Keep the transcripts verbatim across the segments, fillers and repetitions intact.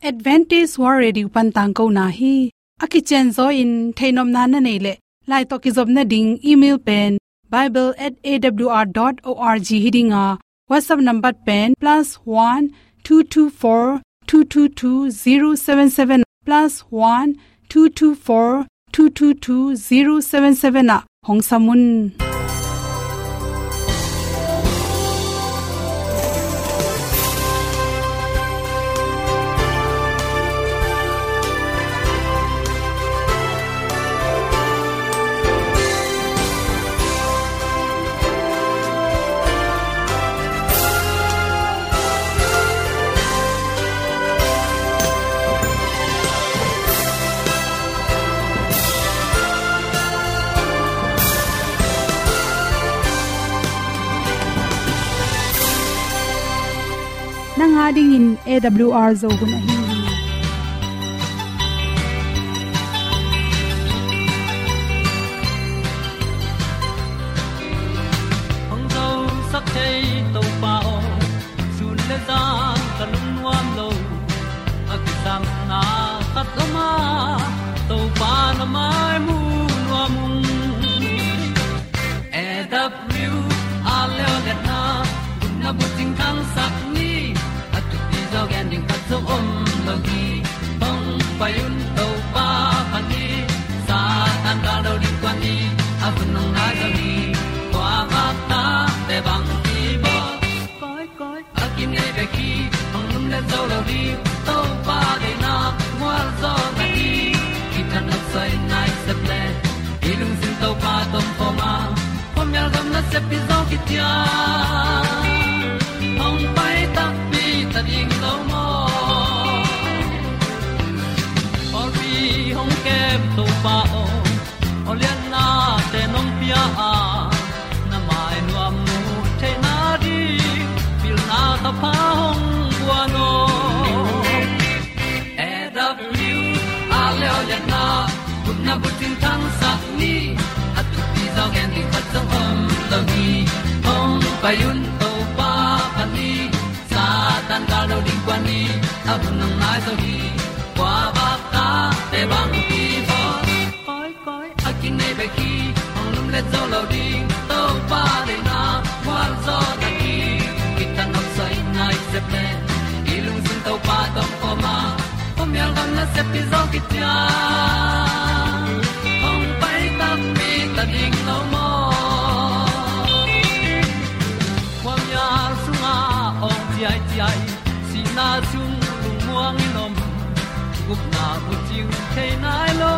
Adventist World Radio pan tangkona hi. A kicianzaw in theihnopna na neih leh, lai tawh kizopna ding email pen bible at A W R dot org hi ding a, WhatsApp number pen plus one two two four two two two zero seven seven, plus one two two four two two two zero seven seven ah hong sam un. Nang a dingin A W R Zo hun ahi hi. Hong zosak thei Topa aw, sun le zan ka lungnuam lo. A kisapna khat om a, Topa na mai mu nuam ung. A W R leo liatna, gupna bucing thangsak ni. A thupi zaw gen ding khat zong om lo hi. Hong pai un Topa phat ni. Satan gal lo ding kuan ni. A hun hong nai zaw hi. Kua bak ta te bang hi baw. Koi, koi, a kinei bek hi, hong lum le zo lo ding, Topa deihna, mual zaw na hi, kithat nop soi nai sep le, i lungsim Topa tawh om khawm a, khuamial gam nasep hi zaw kician, hong pai takpi ta ding lo maw. Pawlpi hong kem Topa aw, aw liannate nong pia a, na mai nuam mu theihna ding, pilna thapha hong guan aw. A W R leo liatna, gupna bucing thangsak ni, a thupi zaw gen ding khat zong om lo hi, hong pai un Topa phat ni, Satan gal lo ding kuan ni, a hun hong nai zaw hi, kua bak ta te bang hi baw. Koi, koi, a kinei bek hi, hong lum le zo lo ding, Topa deihna, mual zaw na hi, kithat nop soi nai sep le, i lungsim Topa tawh om khawm a, khuamial gam nasep hi zaw kician, hong pai takpi ta ding lo maw. Khuamial sungah awng ciaiciai, sihna sung lungmuang in om, gupna bucing thei nai lo,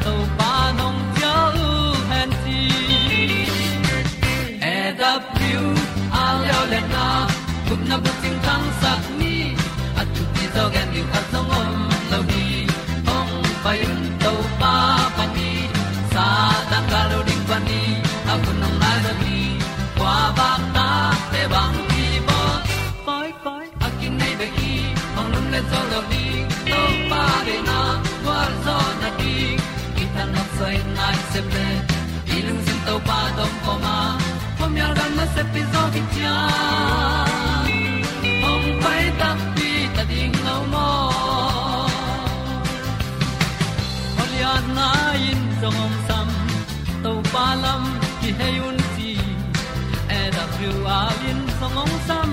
Topa nong cial hen ci. A W R leo liatna, gupna bucing thangsak ni, a thupi zaw gen ding khat zong om lo hi, hong pai un Topa phat ni, Satan gal lo ding kuan ni, a hun hong nai zaw hi, kua bak ta te bang hi baw. Koi, koi, a kinei bek hi, hong lum le zo lo ding, Topa deihna, mual zaw na ding, kithat nop soi nai sep le, i lungsim Topa tawh om khawm a, khuamial gam nasep hi zaw kician, hong pai takpi ta ding lo maw. Aw liatna in zong hong sam, Topa lam kihei un ci, A W R in zong hong sam,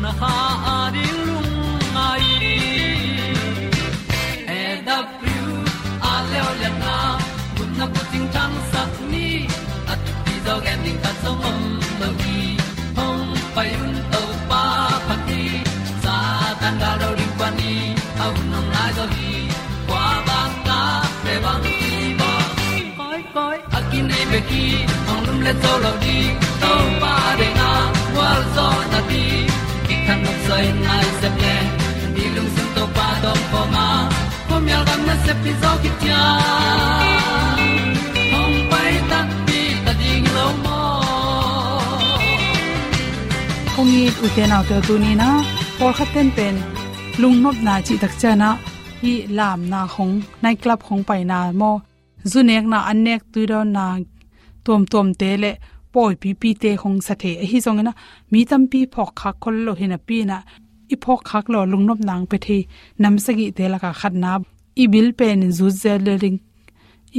na kha a ding lungngai. A W R leo liatna, gupna bucing thangsak ni, a thupi zaw gen ding khat zong om lo hi, hong pai un Topa phat ni, Satan gal lo ding kuan ni, a hun hong nai zaw hi, kua bak ta te bang hi baw. Koi, koi, a kinei bek hi, hong lum le zo lo ding, Topa deihna, mual zaw na ding, kithat nop soi nai sep le, i lungsim Topa tawh om khawm a, khuamial gam nasep hi zaw kician, hong pai takpi ta ding lo maw. Kong it ute naute, tuni-in ah pawlkhat ten pen lungnopna cih tak ciangin ah, hih lamna khong, night club khong paina maw, zu nekna, an nek tuidawnna tuamtuamte le pawipipite khong sa thei. Ahi zongin ah, mi tampi phawk khak khol lo hi napi-in ah, i phawk khak lo lungnopna hong pia thei nam sagihte lakah khatna, i bil pen in zut zel ding,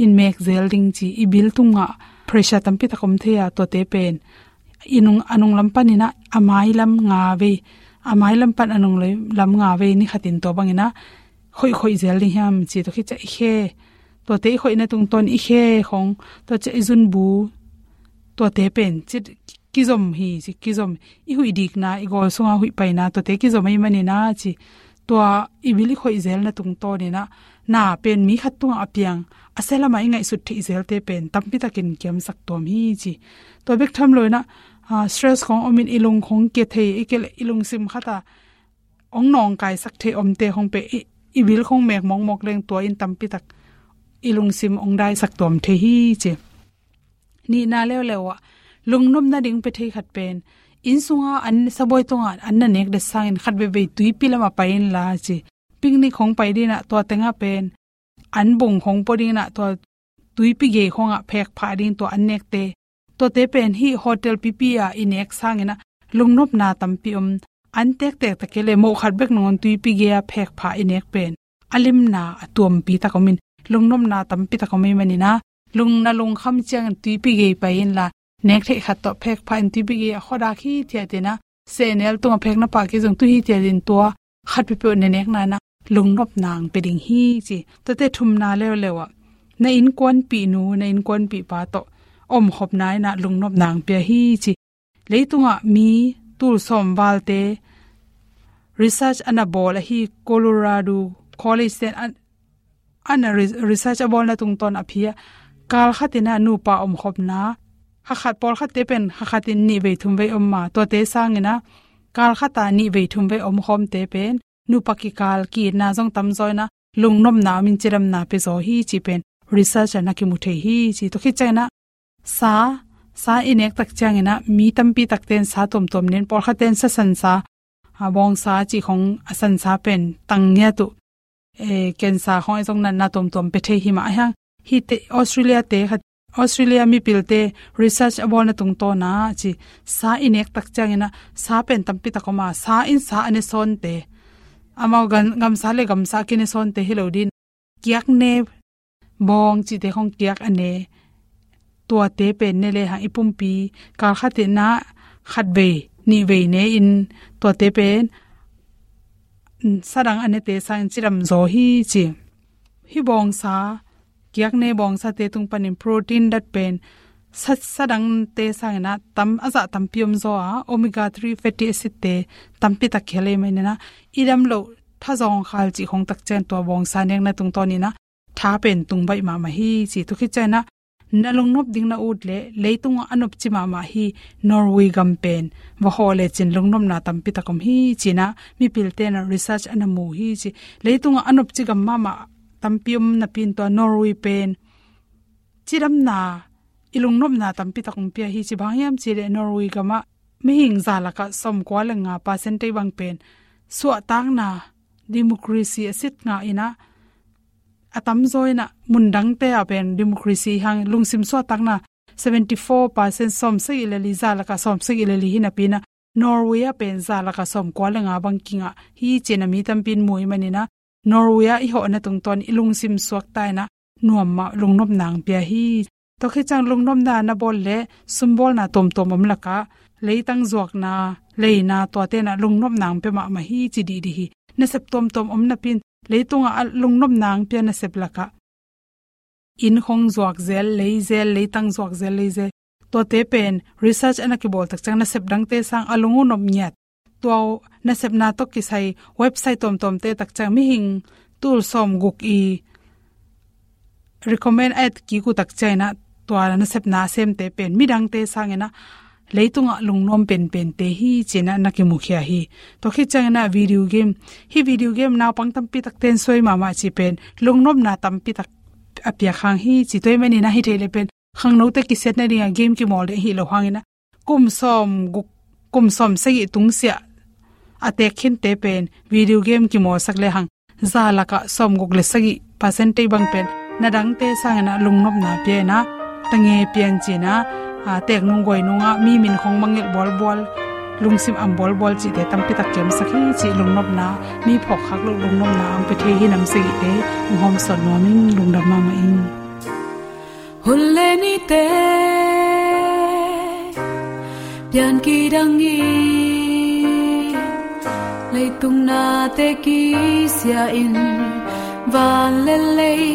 in mek zel ding ci, i bil tungah pressure tampi tak om thei a, tuate pen i nung, a nung lam panin ah a mai lam nga vei, a mai lam pan a nung lam nga vei ni khatin tua bangin ah khoih khoih zel ding hiam ci, tua khit ciang i khe, tuate i khoihna tungtawn i khe khong, tua ciang i zunbu, tuate pen ci, kizom hi ci, kizom, i huih dikna, i gawl sunga huih paina, tuate kizom ahih manin ah ci, tua i bil i khoih zelna tungtawnin ah na pen mi khat tungah a piang, a sia lamah i ngaihsut theih zelte pen tampi takin kiamsak tuam hi ci. Tua bek tham loin ah, ah, stress khong omin i lung khong kia thei, i kia leh i lungsim khat ah hong nawngkaisak thei omte khong pen i, i bil khong mek mawkmawk leng tua in tampi tak i lungsim hong daisak tuam thei hi ci. Nihna leuleu ah lungnopna ding pia thei khat pen, inn sunga an sabuai tungah an na nek det sangin khat veivei tuipi lamah pai inla ci. Picnic khong pai dingin ah tua tengah pen an bung khong pua dingin ah tua tuipi gei khongah phek phah ding tua an nekte, tuate pen hih hotel pipi ah i nek sangin ah lungnopna tampi om. An tektek tak kei leh moh khat bek nangawn tuipi gei-a phek phah i nek pen a limna a tuampi tak omin, lungnopna tampi tak om ahih manin ah, lung, na lungkham ciangin tuipi gei pai inla, nek theih khat tawh phek phah in tuipi gei a khuadak hithiat in ah, sehnel tungah phek na pah kei zong tu hithiat in tua khat peuhpeuh na nekna in ah lungnopna hong pia ding hi ci. Tuate thumna leuleu ah na innkuanpihnu, na innkuanpihpa tawh omkhopna in ah lungnopna hong pia hi ci. Leitungah mi tul sawm valte research a na bawl ahi Colorado College ten a, a na re-, research a bawlna tungtawn a pia, kal khatin ah nupa omkhopna, kha khat, pawlkhatte pen kha khatin nih vei thum vei om a, tuate sangin ah kal khat ah nih vei thum vei omkhawmte pen nupa kikal ki-itna zong tamzaw in ah lungnopna omin cidamna pia zaw hi ci pen research ah na kimu thei hi ci. Tua khit ciangin ah sa, sa i nek tak ciangin ah mi tampi takte in sa tuamtuam nen, pawlkhatte in sa sansa, a, bawngsa cih khong, a sansa pen tang ngiat uh, eh, cancer khong ahi zong natna tuamtuam pia thei hi mah a hiang. Hihte Australia te khat, Australia mipilte research a bawlna tungtawn ah ci, sa i nek tak ciangin ah sa pen tampi tak om a, sa in sa a ne sawnte, amau gam, gamsa le gamsa a kine sawnte hi lo dingin, kiakne bawng cihte khong kiak a ne, tuate pen ne lehang i pumpi kal khatin ah khat vei nih vei ne in, tuate pen, mm, sa dang a nete sangin cidam zaw hi ci. Hih bawngsa, kiakne bawngsate tung panin protein dat pen sa, sa dangte sangin ah tam, a zah tampi om zaw a, omega three fatty acid te tampi tak kihel ahih manin ah, i dam loh tha zawngkhal cih khong tak ciang tua bawngsa nekna tungtawnin ah tha pen tung baih mahmah hi ci. Tua khit ciangin ah na lungnop ding na ut leh leitungah a nopci mahmah hi Norway gam pen va hawh lecin lungnopna tampi tak om hi ci-in ah mipilte in ah research a na mu hi ci. Leitungah a nopci gam mahmah tampi om napi-in tua Norway pen cidamna, i lungnopna tampi tak hong pia hi ci. Bang hiam cih leh Norway gamah mihing za lakah sawmkua le nga percent tei bang pen suahtakna, democracy a sit ngah in ah, a tamzaw in ah mundangte ah pen democracy hang lungsim suahtakna seventy four percent, sawmsagih le li, za lakah sawmsagih le li hi napi-in ah Norway ah pen za lakah sawmkua le nga bang kingah hi ci-in ah mi tampi in mu ahih manin ah Norway ah i hawhna tungtawn i lungsim suakta in ah nuam mah lungnopna hong pia hi. Tua khit ciang lungnopna na bawl leh sumbawlna tuamtuam om lakah leitang zuakna, leina tuate in ah lungnopna hong pia mahmah hi ci dihdih hi. Nasep tuamtuam om napi-in leitungah a lungnopna hong pia nasep lakah inn khong zuak zel, lei zel, leitang zuak zel, lei zel, tuate pen research a na kibawl tak ciang nasep dangte sang a lung uh nop ngiat. Tua nasepna tawh kisai website tuamtuamte tak ciang mihing tul sawmguk i recommend a et kik uh tak ciangin ah tua nasepna a semte pen midangte sangin ah leitungah lungnuam penpente hi ci-in ah na kimukhia hi. Tua khit ciangin ah video game, hih video game naupang tampi takte in suai mahmah cih pen lungnopna tampi tak a piak hang hi ci. Tua ahih manin ah hi thei leh pen khangnote kisiatna dingah game kimawl ding ahi lo hangin ah kum sawmguk, kum sawmsagih tungsiah a teek khinte pen video game kimawlsak lehang za lakah sawmguk le sagih percent tei bang pen na dangte sangin ah lungnopna pia in ah, tange pian ci-in ah, a, teek nung guai nungah mi min khong mangngilh bualbual, lungsim am bualbual cihte tampi tak kiamsak hi cih lungnopna, mi phawkkhak loh lungnopna ang pe thei hi. Nam sagihte ang hawmsawn nuam ing. Lungdam mahmah ing. Hun le nite pian kidang in, leitung nate kisia in, van le lei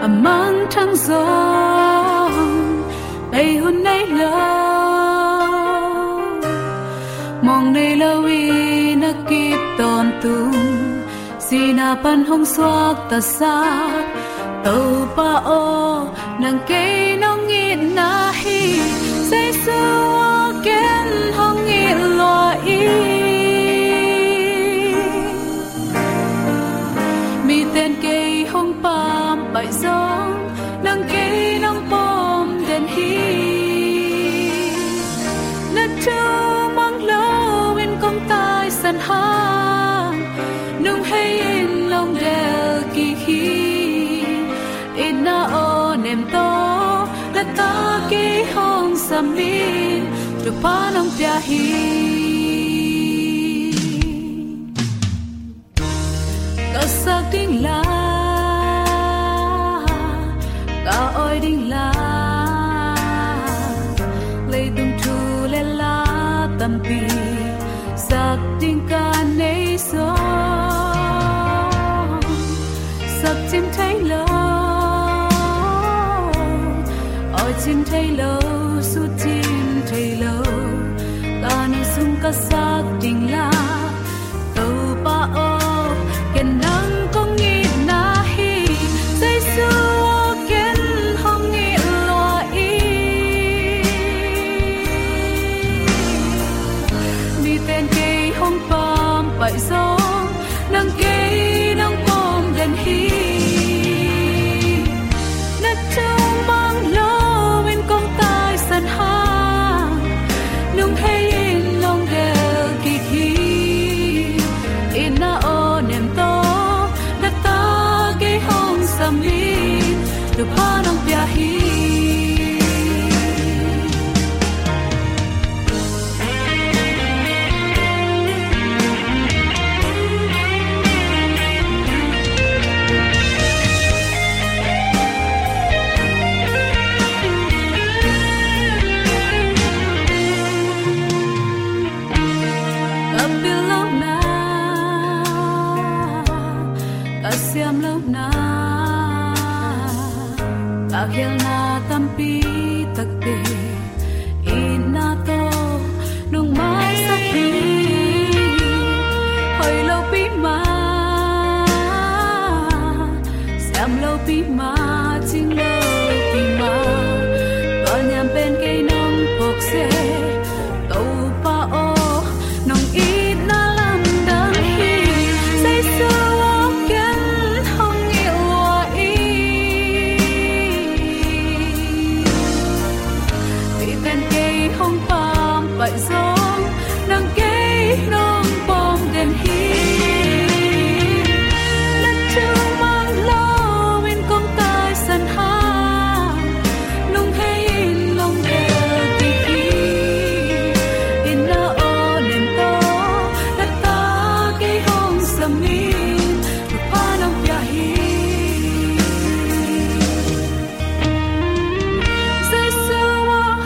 a mangthang zong bei hun nei lo. Mawng nei lo in a kip tawntung, sihna pan hong suaktasak Topa aw, nang kei nong itna hi. Jesu aw, ken hong it lua ing. Miten kei hong pampaih zong, nang kei nong pawm den hi. Na thu mang lo in kong taisan hang, nung hei in long del kik hi. Itna aw nem tawh, na ta kei hong sam in, Topa nong pia hi. Ka sak ding la, ka awi ding la, leitung thu le la tampi sak ding ka nei zong, sak cin thei lo, awi cin thei lo, sut cin thei lo, ka nu sung ka sak ding la. Topa aw, ken nang kong itna hi. Jesu aw, ken hong it lua ing. Miten kei hong pampaih zong, nang kei nong pawm den hi. Na thu mang lo in kong taisan hang, nung hei in long del kik hi. Itna aw nem tawh, na ta kei hong sam in, Topa nong pia hi. Ka pil lohna, ka siam lohna, ka khialna tampi takte, itna tawh nong maisak hi. Hoih lopi mah, siam lopi mah, cing lopi mah, ka niam pen kei nong phawk seh. Topa aw, nong itna lamdang hi. Jesu aw, ken hong it lua ing. Miten kei hong pampaih zong, nang kei nong pawm den hi. Na thu mang lo in kong taisan hang, nung hei in long del kik hi. Itna aw nem tawh, na ta kei hong sam in, Topa nong pia hi. Jesu aw,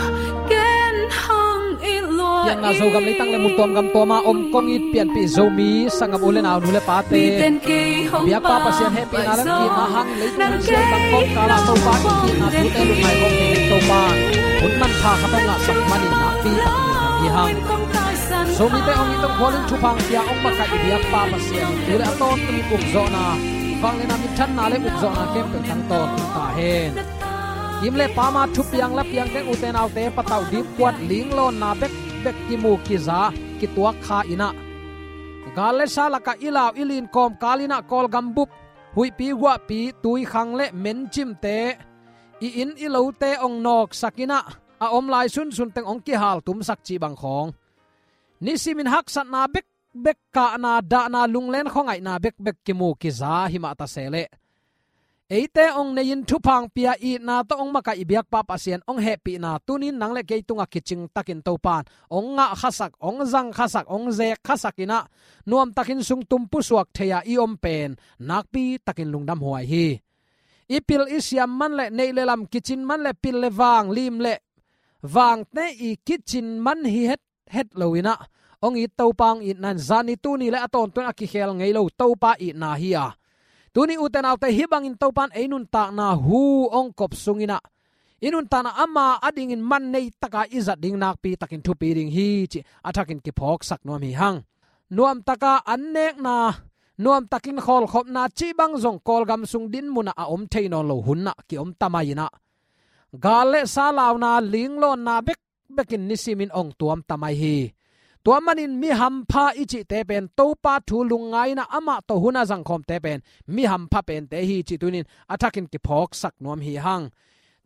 ken hong it lua ing. Pianna Zogam leitang le mun tuam gam tuama om kong it pianpih Zomi sanggam u le nau, nu le pate, biakpa Pasian hehpihna le itna hangin leitung hun sial tang kawmkala Topa in itna thute lungngai hong nei in Topa hun manpha khat hong ngahsak manin nakpi takin i hang. Zomite hong it hong khual in thupha hong pia hong makaih i biakpa Pasian in tu le a tawntungin ukzawhna, vangliatna, minthanna le ukzawhna khempeuh tang tawn ta hen. Kim le pama thupiang lapiang teng, ute naute, patauh, dipkuat, linglawnna bekbek kimu kiza kituak kha in ah, gal le sa lakah i lau i lin kawmkal in ah Kawlgam bup, huihpi guahpi, tuikhang le mencimte, i inn i lote hong nawksak in ah, a om lai sunsun teng hong kihaltumsak cih bang khawng, nisimin haksatna bekbek, kahna dahna, lunglen khuangaihna bekbek kimu kiza hi mah ta se leh, eite hong nei-in thupha hong pia, itna tawh hong makaih i biakpa Pasian hong hehpihna tuni-in nang le kei tungah kicing takin Topa'n hong ngahkhasak, hong zangkhasak, hong zekkhasak in ah, nuamtakin sungtum pusuak thei-a i om pen nakpi takin lungdamhuai hi. I pil i siam man le, neih le lam kicin man le, pil le vang, lim le vangte i kicin man hi het het lo in ah, hong it Topa hong itna in zani tuni le a tawntung a kikhel ngei lo Topa itna hi a. Tuni ute naute, hih bangin Topa'n ei nuntakna hu hong kop sung in ah, i nuntakna ama adingin man nei taka i zat ding nakpi takin thupi ding hi cih a thakin kiphawksak nuam hi hang. Nuamtaka an nekna, nuamtakin khawlkhopna cih bang zong Kawlgam sung dinmun ah a om thei nawn lo hun ah ki-om ta mai in ah, gal le sa launa, linglawnna bek bekin nisimin hong tuam ta mai hi. Tua manin mi hampha i cihte pen Topa thu lungngai in ah amah tawh hun a zangkhawmte pen mi hampha pente hi cih tuni-in a thakin kiphawksak nuam hi hang.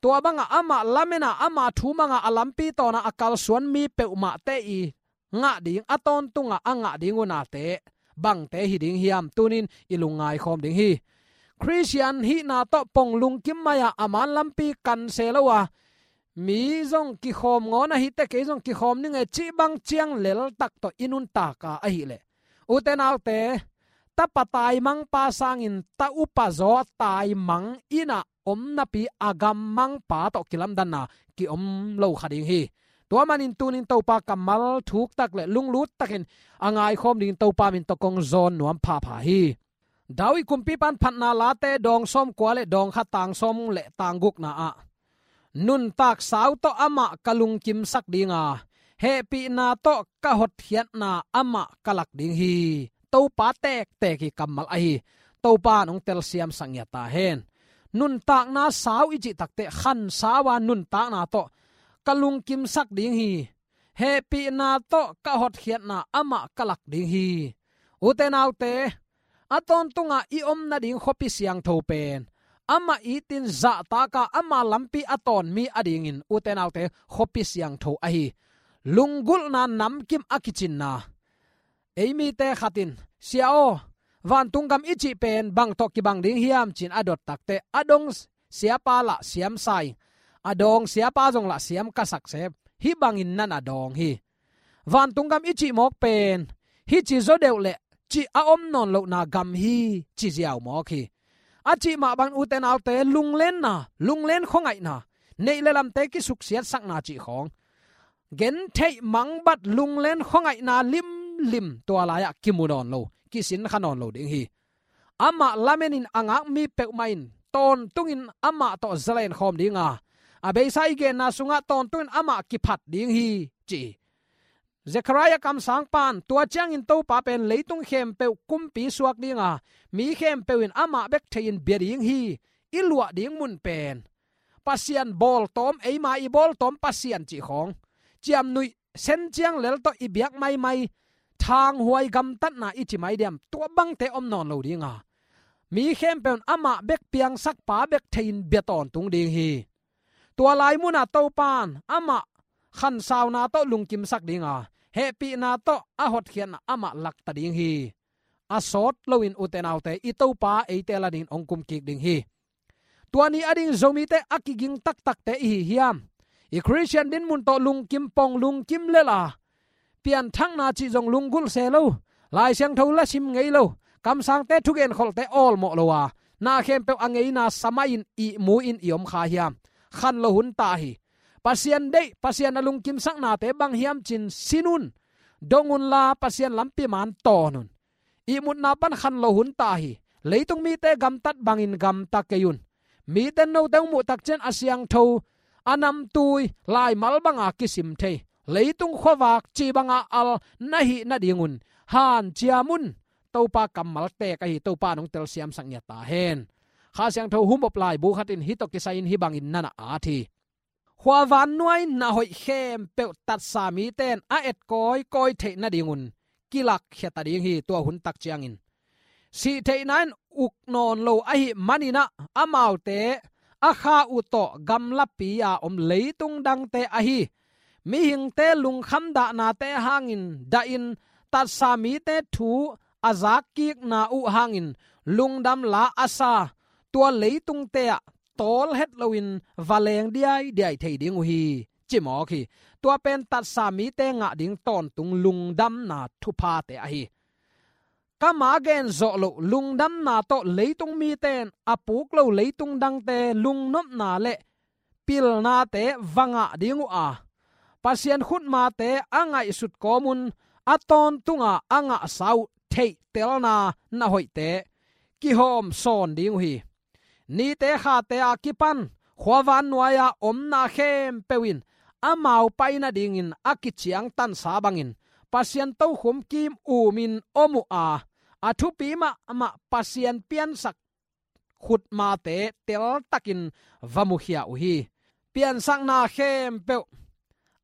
Tua bangah amah lamen a, ama thu mang a, a lampi tawn a a kalsuan mi peuhmahte i ngah ding, a tawntungah a ngah ding unate bangte hi ding hiam, tuni-in i lungngai khawm ding hi. Khristian hihna tawh pong lungkim mai a, a man lampi kan se lo a, mi zong kikhawm ngawn ahi teh, kei zong kikhawm ning e cih bang ciang leltak tawh i nuntak a ahih leh, ute naute, tapa taimangpa sangin ta upa zaw taimang in ah om napi a gammangpa tawh kilamdanna ki-om lo kha ding hi. Tua manin tuni-in Topa kammal thuk tak le lunglut takin a ngaikhawm dingin Topa min tawh kong zawn nuam phapha hi. David kumpipa'n Phatna Late dawng sawmkua le dawng khat, tang sawm le tang gukna ah, nuntak sau tawh amah ka lungkimsak ding a, hehpihna tawh ka hotkhiatna amah ka lak ding hi. Topa tektek hi kammal ahi. Topa'n hong telsiamsak ngiat ta hen. Nuntakna sau i cih tak teh khan sau a, nuntakna tawh ka lungkimsak ding hi. Hehpihna tawh ka hotkhiatna amah ka lak ding hi. Ute naute, a tawntungah i om nading khuapi siangtho pen amah itin zahtak a, ama lampi a tawn mi adingin, ute naute, khuapi siangtho ahi. Lunggulhna namkim a kicinna. Ei mite khat in, "Sia aw, vantung gam i cih pen bang tawh kibang ding hiam?" ci-in a dot tak teh, "A dong siapa lah siam sa ing, a dawng siapa zong lah siam ka sak se, hih bangin na na dawng hi. Vantung gam i cih mawk pen hih ci zaw deuh leh cih a om nawn lohna gam hi," ci ziau mawk hi. A cih mah bangin, ute naute, lunglenna, lunglen khuangaihna, neih le lamte kisuksiatsakna cih khawng, gentheih mangbat lunglen khuangaihna limlim tua lai-ah kimu nawn lo, kisinkha nawn lo ding hi. Amah lamenin a ngak mi peuhmah in tawntungin amah tawh zalen khawm ding a, a beisa i genna sungah tawntungin amah kiphat ding hi, ci hi. Zekhariah kamsangpa'n, "Tua ciangin Topa pen leitung khempeuh kumpi suak ding a, mi khempeuh in amah bek thei-in bia ding hi. I luah ding mun pen Pasian bawltawm, eima i bawltawm Pasian cih khawng, ciamnuih sen ciang lel tawh i biak maimai, thanghuai gamtatna i ci mai diam, tua bangte om nawn lo ding a, mi khempeuh in amah bek piangsakpa bek thei-in bia tawntung ding hi. Tua lai munah Topa'n amah khansauna tawh lungkimsak ding a, hehpihna tawh a hotkhiatna amah lakta ding hi." A sawt loin, ute naute, i Topa eite la dingin hong kumkik ding hi. Tua ni ading Zomite a kiging taktakte i hi hiam? I Khristian dinmun tawh lungkim pong, lungkim lel a, pianthakna cih zong lunggulh se lo, Lai Siangtho la sim ngei lo, kamsangte thugen kholte awlmawh lo a, na khempeuh a ngeina sa mai-in ihmu-in i om kha hiam? Khan lo hun ta hi. Pasian deih, Pasian a lungkimsaknate bang hiam ci-in sin un, dong unla Pasian lampi maan tawn un. Ihmutna pan khan lo hun ta hi. Leitung mite gamtat bangin gamta kei un. Mite note hong muh tak ciang a siangtho, a namtui, laimal banga kisim thei, leitung khuavak ci banga al na hih nadingun hanciam un. Topa kammal tek ahi, Topa in hong telsiamsak ngiat ta hen. Kha Siangtho humop laibu khat in hih tawh kisai-in hih bangin na na at hi. Khua vannuai na hoih khempeuh tatsa mite in a et kawikawi theih nadingun kilakkhia ta ding hi, tua hun tak ciangin. Sih theihna in uk nawn lo ahih manin ah, amaute a kha uh tawh gamlapi-a om leitung dangte ahi mihingte lungkham dahnate hangin dahin, tatsa mite thu a zakkikna uh hangin lungdam la a sa, tua leitungte ah tawl het loin va leng diaidiai thei ding uh hi, ci mawk hi. Tua pen tatsa mite ngah ding tawntung lungdamna thuphate ahi. Ka ma gen zawh loh lungdamna tawh leitung mite in a puk lo leitung dangte lungnopna le pilnate va ngah ding uh a, Pasian khutmate a ngaihsut kawmun a tawntunga a ngahsa uh theihtelna na hoihte kihawm sawn ding uh hi. Nite khate a kipan khuavan nuai-a omna khempeuh in amau pai nadingin a kiciangtansa bangin Pasian tokhom kim umin om uh a, a thupi mahmah Pasian piansak khutmate teltakin va mukhia uh hi. Piansakna khempeuh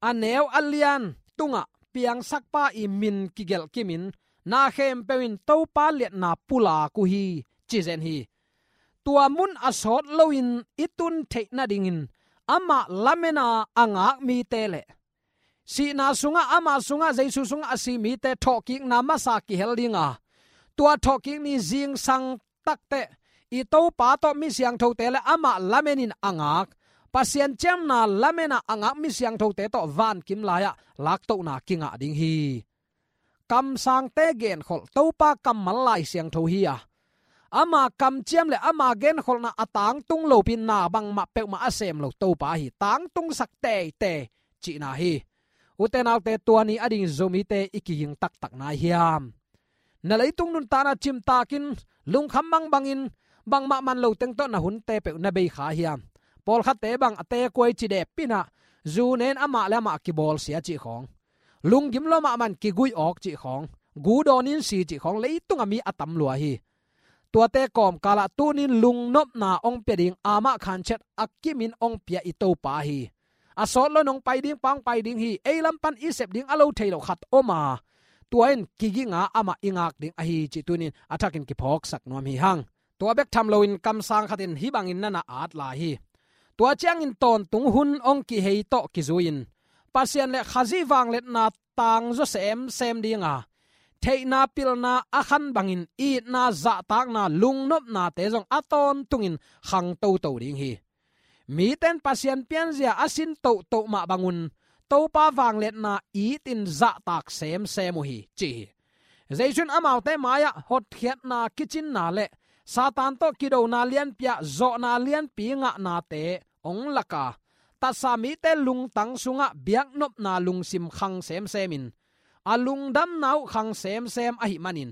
a neu a lian tungah piangsakpa i min kigelh kimin na khempeuh in Topa liatna pulak uh hi, ci zen hi. Tua mun a sawt loin i tun theih nadingin amah lamena a ngak mite le sihna sungah, ama sungah, Jesu sungah a si mite thawhkikna masa kihel dinga, tua thawhkik ni zingsang takteh i Topa tawh mi siangthote le amah lamenin a ngak, Pasian ciamna lamena a ngak mi siangthote tawh vankim lai-ah laktohna kingah ding hi. Kamsangte genkholh Topa kammal Lai Siangtho hi a, ama kamciam le ama genkholhna a tangtung lopi na bangmah peuhmah a sem lo Topa hi. Tangtungsak teitei cihna hi. Ute naute, tua ni a ding Zomite i kiging taktak nai hiam? Na leitung nuntakna cimtakin lungkham bangbangin bangmah man lo teng tawh na hunte peuh na bei kha hiam? Pawlkhatte bang a tekuai ci dep pinah zu nen amah le amah kibawlsia cih khawng, lunggim lua mahmah in kiguih awk cih khawng, gu dawnin si cih khawng, leitung a mi a tam lua hi. Tuate kawmkalah tunin lungnopna hong pia ding, amah khanciat a kimin hong pia i Topa hi. A sawt loin hong pai ding pa hong pai ding hi. Ei lam pan i sep ding a lo thei lo khat om a, tua in kiginga amah i ngak ding ahi cih tunin a thakin kiphawksak nuam hi hang. Tua bek tham loin kamsang khatin hih bangin na na at lai hi. Tua ciangin tawntung hun hong kihei tawh kizui-in Pasian le Khazih vangliatna tangzaw semsem dinga, theihna pilna a khan bangin itna, zahtakna, lungnopnate zong a tawntungin khang toto ding hi. Mite in Pasian pianzia a sin tohtoh mah bangun Topa vangliatna itin zahtak semsem uh hi, ci hi. Jesu in amaute mai-ah hotkhiatna kicinna le Satan tawh kidona lianpi-ah zawhna lianpi ngahnate hong laka, tatsa mite lungtang sungah biaknopna lungsim khang semsemin, a lungdamna uh khang semsem ahih manin,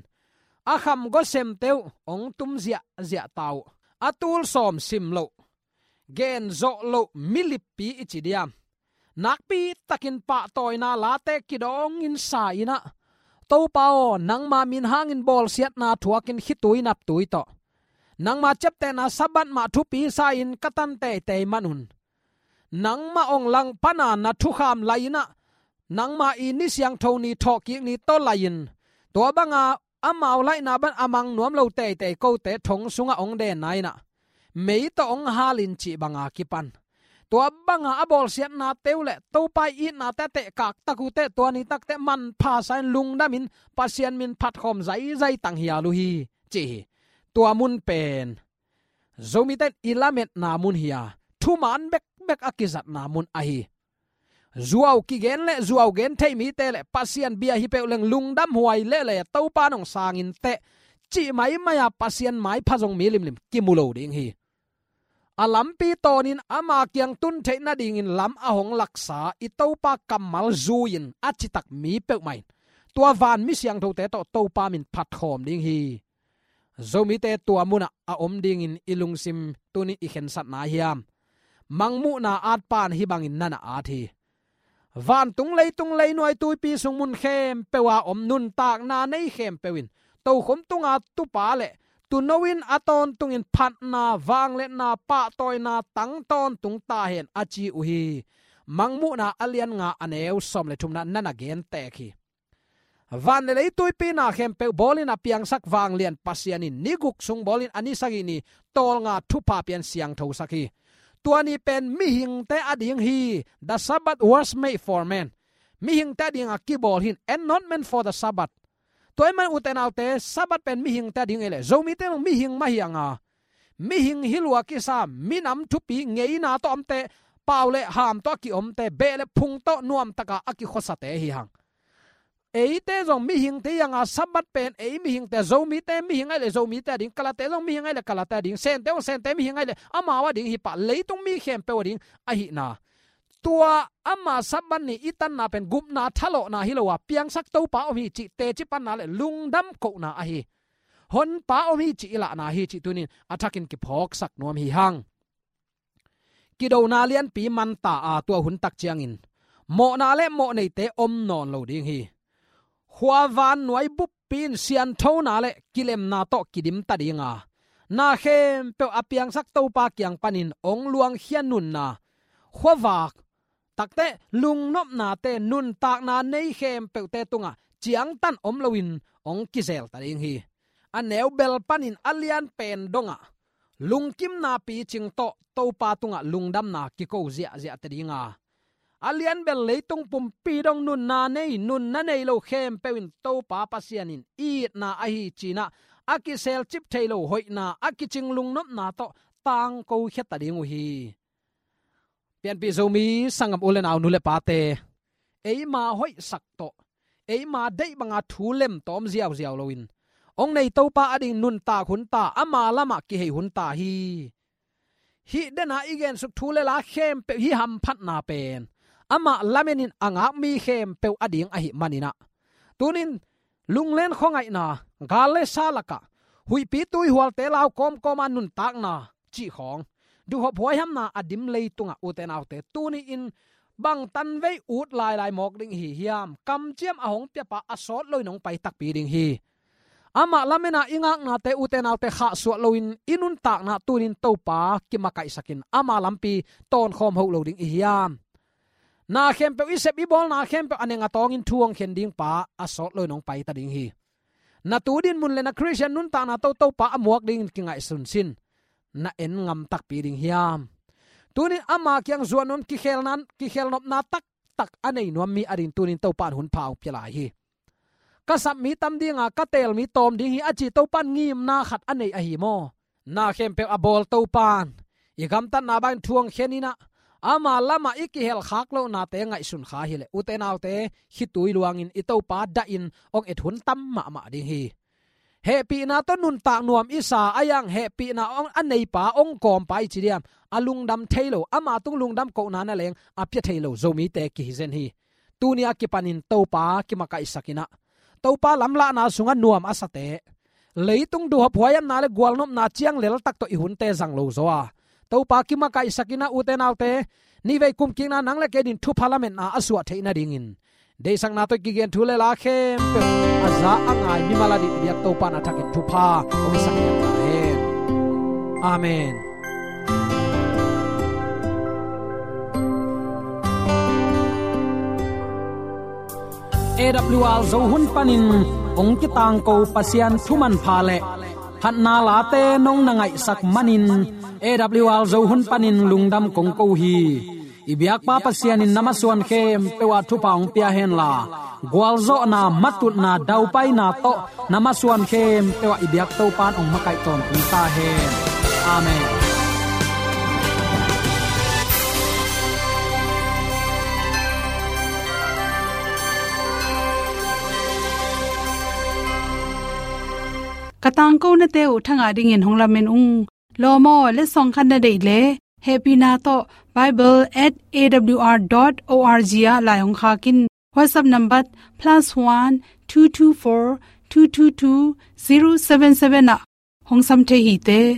a khamgaw semte uh hong tum ziahziah ta uh. A tul sawm sim loh, gen zawh loh milippi i ci diam? Nakpitakin pahtawina late kidawngin sa-in ah, Topa aw, nangma min hangin bawlsiatna thuakin khitui naptui tawh, nangma ciaptehna Sabbath mah thupi sa-in ka tan teitei manun, nangmah hong langpana na thukham lai-in ah, nangma i ni siangtho ni thawhkik ni tawh lai-in, tua banga amau laihna bang a mang nuam lo teitei kote thong sungah hong denna in ah, mei tawh hong halin cih banga kipan, tua banga a bawlsiatnate uh le Topa i itnate a tehkak tak uh teh, tua ni takteh manpha sa-in lungdamin Pasian min phatkhawm zaizai tang hial uh hi, ci hi. Tua mun pen Zomite in i lametna mun hi a, thuman bekbek a kizatna mun ahi. Zuau kigen le zuau gen thei mite le Pasian bia hi peuh leng lungdam huai lele, Topa nong sangin teh, cih maimai a Pasian maipha zong mi limlim kimu lo ding hi. A lampi tawnin ama kiang tun theih nadingin lam a hong laksa i Topa kammal zui-in a citak mi peuhmah in tua van mi siangthote tawh Topa min phatkhawm ding hi. Zomite tua munah a om dingin i lungsim tunin i khensatna hiam? Mangmuhna atpa in hih bangin na na at hi. Vantung leitung leinuai tuipi sung mun khempeuh a om nuntakna nei khempeuh in tokhom tunga tupa le tuuno in a tawntungin phatna, vangliatna, pahtawina tang tawntung ta hen a ci uh hi. Mangmuhna a lian nga a neu sawm le thumna na na gen tek hi. Van le lei tuipi na khempeuh bawlin a piangsak vanglian Pasian in ni guk sung bawlin a ni sagih ni tawlnga thupha pian siangthosak hi. Tua ni pen mihingte a ding hi. The Sabbath was made for man. Mihingte a dinga kibawl hi in, and not man for the Sabbath. Tua ahih man ute naute, Sabbath pen mihingte a ding hi leh, Zomite mah mihing mah hi hang a, mihing hi lua kisa, minam thupi ngeina tawh omte, pau le ham tawh a kiomte, beh le phung tawh nuamtaka a kikhuasate hi hang. Eite zong mihingte hi hanga, Sabbath pen ei mihingte, Zomite mihing ahih leh Zomite ading, Kalate zong mihing ahih leh Kalate ading, Sente zong Sente mihing ahih leh amau ading hi pah, leitung mi khempeuh ading ahihna. Tua ama Sabbath ni i tanna pen gupna thalawhna hi lo a, piangsak Topa om hi cih teci panna le lungdam kohna ahi. Honpa om hi cih i lahna hi cih tunin a thakin kiphawksak nuam hi hang. Kidona lianpi manta a, tua hun tak ciangin mawhna le mawhneite om nawn lo ding hi. Khuavan nuai buppi in sianthona le kilemna tawh kidimta dinga, na khempeuh a piangsak Topa kiang panin hong luangkhia nunna, khuavak takte lungnopnate, nuntakna nei khempeuhte tungah ciangtan om loin hong kizelta ding hi. A neu bel panin a lian pen dongah lungkimna picing tawh Topa tungah lungdamna kiko ziahziahte dinga, a lian bel leitung pumpi dong nunna nei, nunna nei lo khempeuh in Topa Pasian in itna ahi cinah a kiselcip thei lo hoihna, a kicing lungnopna tawh tangko khiata ding uh hi. Pianpih Zomi sanggam u le nau, nu le pate, eima hoihsak tawh, eima deih banga thu lem tawm ziauziau loin hong nei Topa ading nuntak hunta, ama lamah kihei hunta hi. Hih dena i gensuk thu le la khempeuh, hih hamphatna pen amah lamenin a ngak mi khempeuh ading ahih maninah, tunin lunglen khuangaihna, gal le sa lakah huihpi tuihualte lau kawmkawma nuntakna cih khawng, duhhop huaihamna a dim leitungah, ute naute, tuni-in bang tanvei ut lailai mawk ding ihi hiam? Kamciam a hong piapa a sawt loin hong pai takpi ding hi. Amah lamena i ngaknate, ute naute, khahsuah loin i nuntakna tunin Topa kimakaihsakin ama lampi tawnkhawm hoh lo ding ihi hiam? Na khempeuh i sep i bawlna khempeuh a neng a tawngin thu hong khen ding pa a sawt loin hong paita ding hi. Na tu dinmun le na Khristian nuntakna tawh Topa a muak dingin kingaihsun sin. Na en ngam takpi ding hiam? Tunin ama kiang zuan un kikhelna, kikhelnopna taktak a nei nuam mi ading tunin Topa in hun pha hong pia lai hi. Ka sap mi tam dinga, ka teel mi tawm ding hi a ci Topa in ngimna khat a nei ahi maw? Na khempeuh a bawl Topa in i gamtatna bangin thu hong khen inah, ama lamah i kihelkhak lohnate ngaihsun kha hileh, ute naute, khitui luangin i Topa dahin hong et hun tam mahmah ding hi. Hehpihna tawh nuntak nuam i sa a, a yang hehpihna hong a neipa, hong kawmpa i ci diam, a lungdam thei lo, ama tung lungdam kohna na leng a pia thei lo Zomite kihi zen hi. Tuni a kipanin Topa kimakaihsak inah, Topa lamlahna sungah nuam a sate, leitung duhhop huaihamna le gualnopna ciang leltak tawh i hunte zang lo zaw a, Topa kimakaihsak inah, ute naute, nihvei kumkikna nang le kei din thupha lametna a suah theih nadingin, deihsakna tawh kigen thu le la khempeuh a za a ngai mimal a dih biak Topa in a thakin thupha hong hisak ta hen. Amen. A W R Zo hun panin hong kitangko Pasian thu manpha le phatna late nong na ngaihsak manin, A W R Zo hun panin lungdam kong ko hi. I biakpa Pasian in na masuan khempeuh ah thupha hong pia henla, gualzawhna, matutna, daupaina tawh na masuan khempeuh ah i biak Topa in hong makaih tawntung ta hen. Amen. Ka tangkonate uh thangah dingin hong lamen ung. Lawm aw, letsong khat na deih leh, hehpihna tawh bible at A W R dot O R G ah lai hong khak in. WhatsApp number plus one two two four two two two zero seven seven ah hong sam thei hi te.